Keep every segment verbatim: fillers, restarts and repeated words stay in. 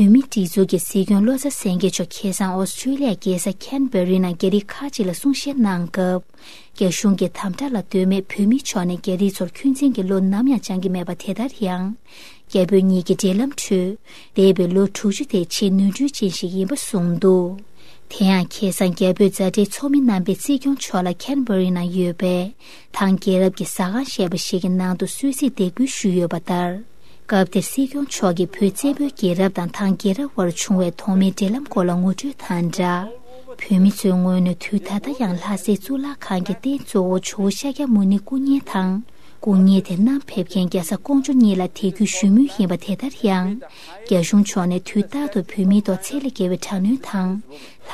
བོད་མིའི་སྒྲིག་འཛུགས་ཀྱི་སྲིད་སྐྱོང་བློ་བཟང་སེང་གེ་མཆོག་ཁ་སང་ཨོ་སི་ཀྲི་ལི་ཡའི་རྒྱལ་ས་ཁན་བྷེ་རི་ནང་རྒྱ་རིགས་ཁག་ཅིག་ལ་གསུང་བཤད་གནང་སྐབས། རྒྱ་གཞུང་གི་དམ་དྲག་ལ་ལྟོས་མེད་བོད་མི་མཆོག་ནས་རྒྱ་རིགས་ཚོར་འཁོན་འཛིན་གྱི་བློ་ནམ་ཡང་སྦྱང་གི་མེད་པ། དེ་ལྟར་ཡང་། རྒྱ་བོད་གཉིས་ཀྱི་འབྲེལ་ལམ་ཁྲོད། འདས་པའི་ལོ་དྲུག་ཅུ་དེ་ཆེས་ནོར་འཁྲུལ་ཅན་ཞིག་ཡིན་པ་གསུངས་འདུག་དེ་ཡང་ཁ་སང་རྒྱ་བོད་མཛའ་འབྲེལ་ཚོགས་མི་རྣམ་པས་སྲིད་སྐྱོང་མཆོག་ལ་ཁན་བྷེ་རི་ནང་ཡོད་པའི་ཐང་རྒྱལ་རབས་ཀྱི་ཟ་ཁང་ཞེས་པ་ཞིག་གི་ནང་དུ་གསོལ་ཚིགས་འདེགས་འབུལ་ཞུས་ཡོད་པ་ལྟར། སྐབས་དེར་སྲིད་སྐྱོང་མཆོག་གིས་བོད་བཙན་པོའི་རྒྱལ་རབས་དང་ཐང་རྒྱལ་རབས་བར་བྱུང་བའི་ཐོག་མའི་འབྲེལ་ལམ་སྐོར་ལ་ངོ་སྤྲོད་དང་སྦྲགས། བོད་མི་ཚོའི་ངོས་ནས་དུས་ད་ལྟ་ཡང་ལྷ་སའི་གཙུག་ལག་ཁང་གི་རྟེན་གཙོ་བོ་ཇོ་བོ་ཤཱཀྱ་མུ་ནེའི་སྐུ་བརྙན་དང་། སྐུ་བརྙན་དེ་བསྣམས་ཕེབས་མཁན་རྒྱལ་ས་ཀོང་ཇོ་གཉིས་ལ་དད་གུས་ཞུ་མུས་ཡིན་པ། དེ་ལྟར་ཡང་། རྒྱ་གཞུང་ཕྱོགས་ནས་དུས་རྟག་ཏུ་བོད་མིའི་ཐོག་ཚད་ལས་བརྒལ་བའི་དྲག་གནོན་དང་།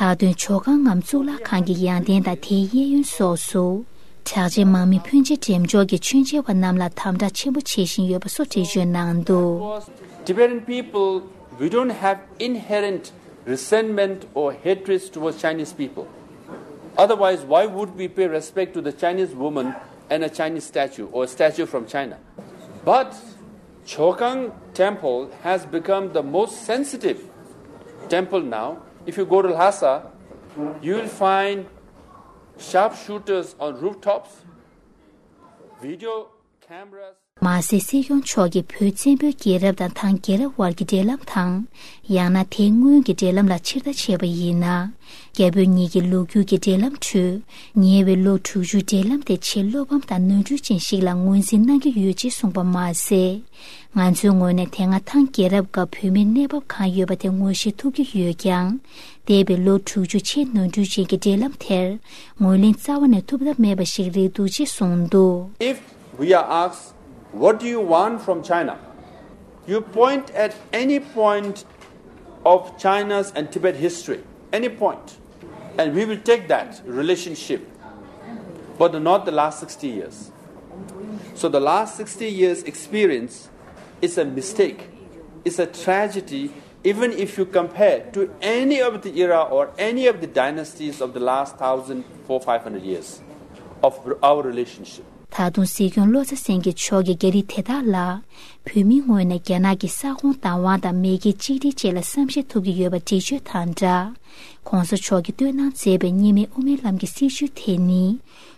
ལྷག་དོན་ཇོ་ཁང་ངམ་གཙུག་ལག་ཁང་གི་ཡང་རྟེན་དང་དེའི་གཡས་གཡོན་སོགས་སུ། གྲགས་ཅན་དམག་མི་ཕོན་ཆེ་འགྲེམས་འཇོག་གིས་མཆོད་མཇལ་བ་རྣམས་ལ་དམ་དྲག་ཆེན་པོ་བྱེད་བཞིན་ཡོད་པ་སོགས་འགྲེལ་བརྗོད་གནང་འདུག Tibetan people, we don't have inherent resentment or hatred towards Chinese people. Otherwise, why would we pay respect to the Chinese woman and a Chinese statue or a statue from China? But Chokang Temple has become the most sensitive temple now. If you go to Lhasa, you will find sharpshooters on rooftops, video cameras. མ་ཟད། སྲིད་སྐྱོང་མཆོག་གིས་བོད་བཙན་པོའི་རྒྱལ་རབས་དང་ཐང་རྒྱལ་རབས་བར་གྱི་འབྲེལ་ལམ་དང་། ཡང་ན་དེའི་སྔོན་གྱི་འབྲེལ་ལམ་ལ་ཕྱིར་ལྟ་བྱས་པ་ཡིན་ན། རྒྱ་བོད་གཉིས་ཀྱི་ལོ་རྒྱུས་ཀྱི་འབྲེལ་ལམ་ཁྲོད། ཉེ་བའི་ལོ་དྲུག་ཅུའི་འབྲེལ་ལམ་དེ་ཆེས་བློ་ཕམ་དང་ནོར་འཁྲུལ་ཅན་ཞིག་ལ་ངོས་འཛིན་གནང་གི་ཡོད་ཅེས་གསུངས་པ་མ་ཟད། ང་ཚོའི་ངོས་ནས་དེ་སྔ་ཐང་རྒྱལ་རབས་སྐབས་བོད་མིར་གནས་བབ་གང་ཡོད་པ་དེ་ངོ་ཤེས་ཐུབ་ཀྱི་ཡོད་ཀྱང་། འདས་པའི་ལོ་དྲུག་ཅུ་ཆེས་ནོར་འཁྲུལ་ཅན་གྱི་འབྲེལ་ལམ་དེར་ངོས་ལེན་རྩ་བ་ནས་ཐུབ་ཐབས་མེད་པ་ཞིག་རེད་འདུག་ཅེས་གསུངས་འདུག If we are asked, "What do you want from China?" You point at any point of China's and Tibet history, any point, and we will take that relationship, but not the last sixty years. So the last sixty years experience is a mistake, it's a tragedy, even if you compare to any of the era or any of the dynasties of the last thousand, four, five hundred years of our relationship. ད་དུང་སྲིད་སྐྱོང་བློ་བཟང་སེང་གེ་མཆོག་གིས་རྒྱ་རིགས་དེ་དག་ལ། བོད་མིའི་ངོས་ནས་རྒྱ་ནག་གི་ས་ཁོངས་བདག་དབང་དང་མེས་རྒྱལ་གཅིག་སྒྲིལ་བཅས་ལ་བསམ་ཤེས་ཐུབ་ཀྱི་ཡོད་པ་འགྲེལ་བརྗོད་དང་སྦྲགས། ༸གོང་ས་མཆོག་གིས་བཏོན་གནང་མཛད་པའི་གཉིས་སྨན་དབུ་མའི་ལམ་གྱི་སྲིད་བྱུས་དེ་ནི།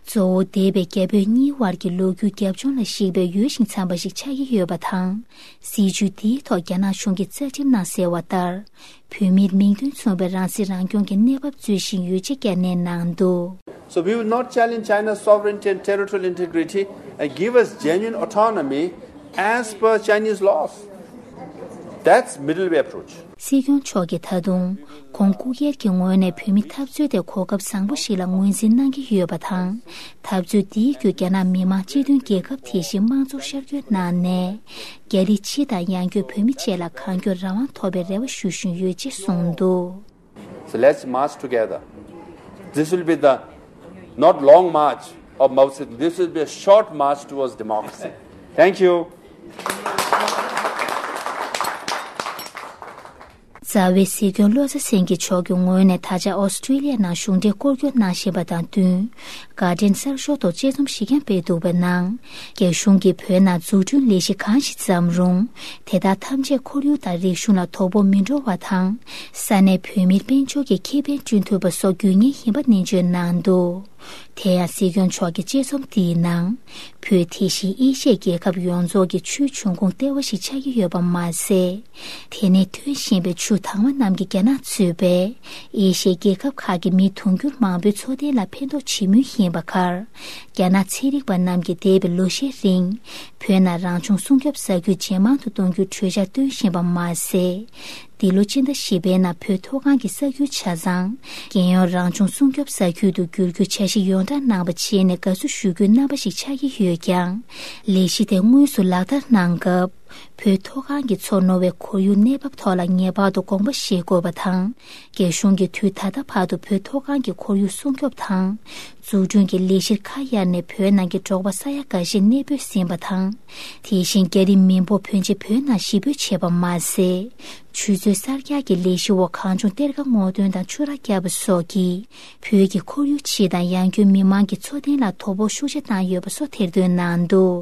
གཙོ་བོ་འདས་པའི་རྒྱ་བོད་གཉིས་བར་གྱི་ལོ་རྒྱུས་རྒྱབ་ལྗོངས་ལ་གཞིགས་པའི་འོས་ཤིང་འཚམས་པ་ཞིག་ཆགས་ཀྱི་ཡོད་པ་དང་། སྲིད་བྱུས་འདིའི་ཐོག་རྒྱ་ནག་གཞུང་གིས་རྩ་ཁྲིམས་ནང་གསལ་བ་ལྟར། བོད་མིར་མིང་དོན་མཚུངས་པའི་རང་སྲིད་རང་སྐྱོང་གི་གནས་བབ་རྩོད་བཞིན་ཡོད་ཅེས་བསྐྱར་ནན་གནང་འདུག So we will not challenge China's sovereignty and territorial integrity and give us genuine autonomy as per Chinese laws. That's middle way approach. སྲིད་སྐྱོང་མཆོག་གིས་ད་དུང་ཁོང་སྐུ་སྒེར་གྱི་ངོས་ནས་བོད་མི་འཐབ་རྩོད་དེ་གོ་སྐབས་བཟང་པོ་ཞིག་ལ་ངོས་འཛིན་གནང་གི་ཡོད་པ་དང་། འཐབ་རྩོད་འདིའི་བརྒྱུད་རྒྱ་ནག་མི་དམངས་སྤྱི་མཐུན་རྒྱལ་ཁབ་དེ་བཞིན་དམངས་གཙོར་ཤར་བསྐྱོད་གནང་ནས། རྒྱ་རིགས་སྤྱི་དང་ཡང་སྒོས་བོད་མི་བཅས་ལ་གང་མགྱོགས་རང་དབང་ཐོབ་པའི་རེ་བ་ཞུ་བཞིན་ཡོད་ཅེས་གསུངས་འདུག So let's march together. This will be the not long march of Mao Zedong. This will be a short march towards democracy. Thank you. རྩ་བའི་སྲིད་སྐྱོང་བློ་བཟང་སེང་གེ་མཆོག་གི་ངོས་ནས་ད་ཆ་ཨོ་སི་ཀྲི་ལི་ཡ་ནང་གཞུང་འབྲེལ་སྐོར་སྐྱོད་གནང་བཞིན་པ་དང་བསྟུན། གྷར་ཌེན་གསར་ཤོག་ཐོག་དཔྱད་རྩོམ་ཞིག་ཀྱང་སྤེལ་འདུག་པའི་ནང་། རྒྱ་གཞུང་གིས་བོད་ནང་འཛུགས་སྐྲུན་ལས་གཞི་གང་ཞིག་བརྩམས་རུང་། དེ་དག་ཐམས་ཅད་ཁོར་ཡུག་དང་རིག་གཞུང་ལ་དོ་ཕོག་མི་འགྲོ་བ་དང་། ས་གནས་བོད་མིར་དཔལ་འབྱོར་གྱི་ཁེ་ཕན་བསྐྲུན་ཐུབ་པ་སོགས་དགོས་ངེས་ཡིན་པ་ནན་བརྗོད་གནང་འདུག་དེ་ཡང་སྲིད་སྐྱོང་མཆོག་གི་དཔྱད་རྩོམ་འདིའི་ནང་། བོད་དེ་བཞིན་ཨེ་ཤི་ཡའི་རྒྱལ་ཁབ་ཡོངས་རྫོགས་ཀྱི་ཆུའི་འབྱུང་ཁུངས་ལྟེ་བ་ཞིག་ཆགས་ཀྱི་ཡོད་པ་མ་ཟད། དེ་ནས་ཐོན་བཞིན་པའི་ཆུ་དྭངས་མ་རྣམས་ཀྱིས་རྒྱ་ནག་གཙོས་པའི་ཨེ་ཤི་ཡའི་རྒྱལ་ཁབ་ཁག་གི་མི་དུང་ཕྱུར་མང་པོའི་འཚོ་རྟེན་ལ་ཕན་ཐོགས་བྱེད་མུས་ཡིན་པ་ཁར། རྒྱ་ནག་ཚན་རིག་པ་རྣམས་ཀྱིས་འདས་པའི་ལོ་ཤས་རིང་། བོད་ནང་རང་བྱུང་སྲུང་སྐྱོབ་ས་ཁུལ་ཇེ་མང་དུ་གཏོང་རྒྱུའི་གྲོས་འཆར་བཏོན་བཞིན་པ་མ་ཟད། འདི་ལོ་སྤྱི་ཟླ་བཞི་པའི་ནང་བོད་མཐོ་སྒང་གི་ས་ཁུལ་ཆ་ཚང་རྒྱལ་ཡོངས་རང་བྱུང་སྲུང་སྐྱོབ་ས་ཁུལ་དུ་འགྱུར་རྒྱུའི་འཆར་གཞི་ཡོངས་བསྒྲགས་གནང་བ་བྱས་ནས་དགའ་བསུ་ཞུ་རྒྱུའི་རྣམ་པ་ཞིག་ཆགས་ཀྱི་ཡོད་ཀྱང་། ལས་གཞི་དེ་དངོས་སུ་ལག་བསྟར་གནང་སྐབས། བོད་མཐོ་སྒང་གི་མཚོ་རྣོ་བའི་ཁོར་ཡུག་གནས་བབ་ཐོག་ལ་ངེས་པར་དུ་དགོངས་པ་བཞེས་དགོས་པ་དང་། རྒྱ་གཞུང་གིས་དུས་ད་ལྟ་བར་དུ་བོད་མཐོ་སྒང་གི་ཁོར་ཡུག་སྲུང་སྐྱོབ་དང་། འཛུགས་སྐྲུན་གྱི་ལས་གཞིར་ཁ་གཡར་ནས་བོད་ནང་གི་འབྲོག་པ་ས་ཡ་འགའ་ཤས་གནས་སྤོས་ཟིན་པ་དང་། དེ་བཞིན་རྒྱ་རིགས་མི་འབོར་ཕོན་ཆེ་བོད་ནང་གཞིས་སྤོས་བྱས་པ་མ་ཟད། ཆུ་མཛོད་གསར་རྒྱག་གི་ལས་གཞི་འོག་གངས་ལྗོངས་གཏེར་ཁ་སྔོག་འདོན་དང་ཆུ་རགས་བརྒྱབ་པ་སོགས་ཀྱིས་བོད་ཀྱི་ཁོར་ཡུག་སྤྱི་དང་ཡང་སྒོས་མི་དམངས་ཀྱི་འཚོ་རྟེན་ལ་དོ་ཕོག་ཤུགས་ཆེ་བཏང་ཡོད་པ་སོགས་ཐེར་འདོན་གནང་འདུག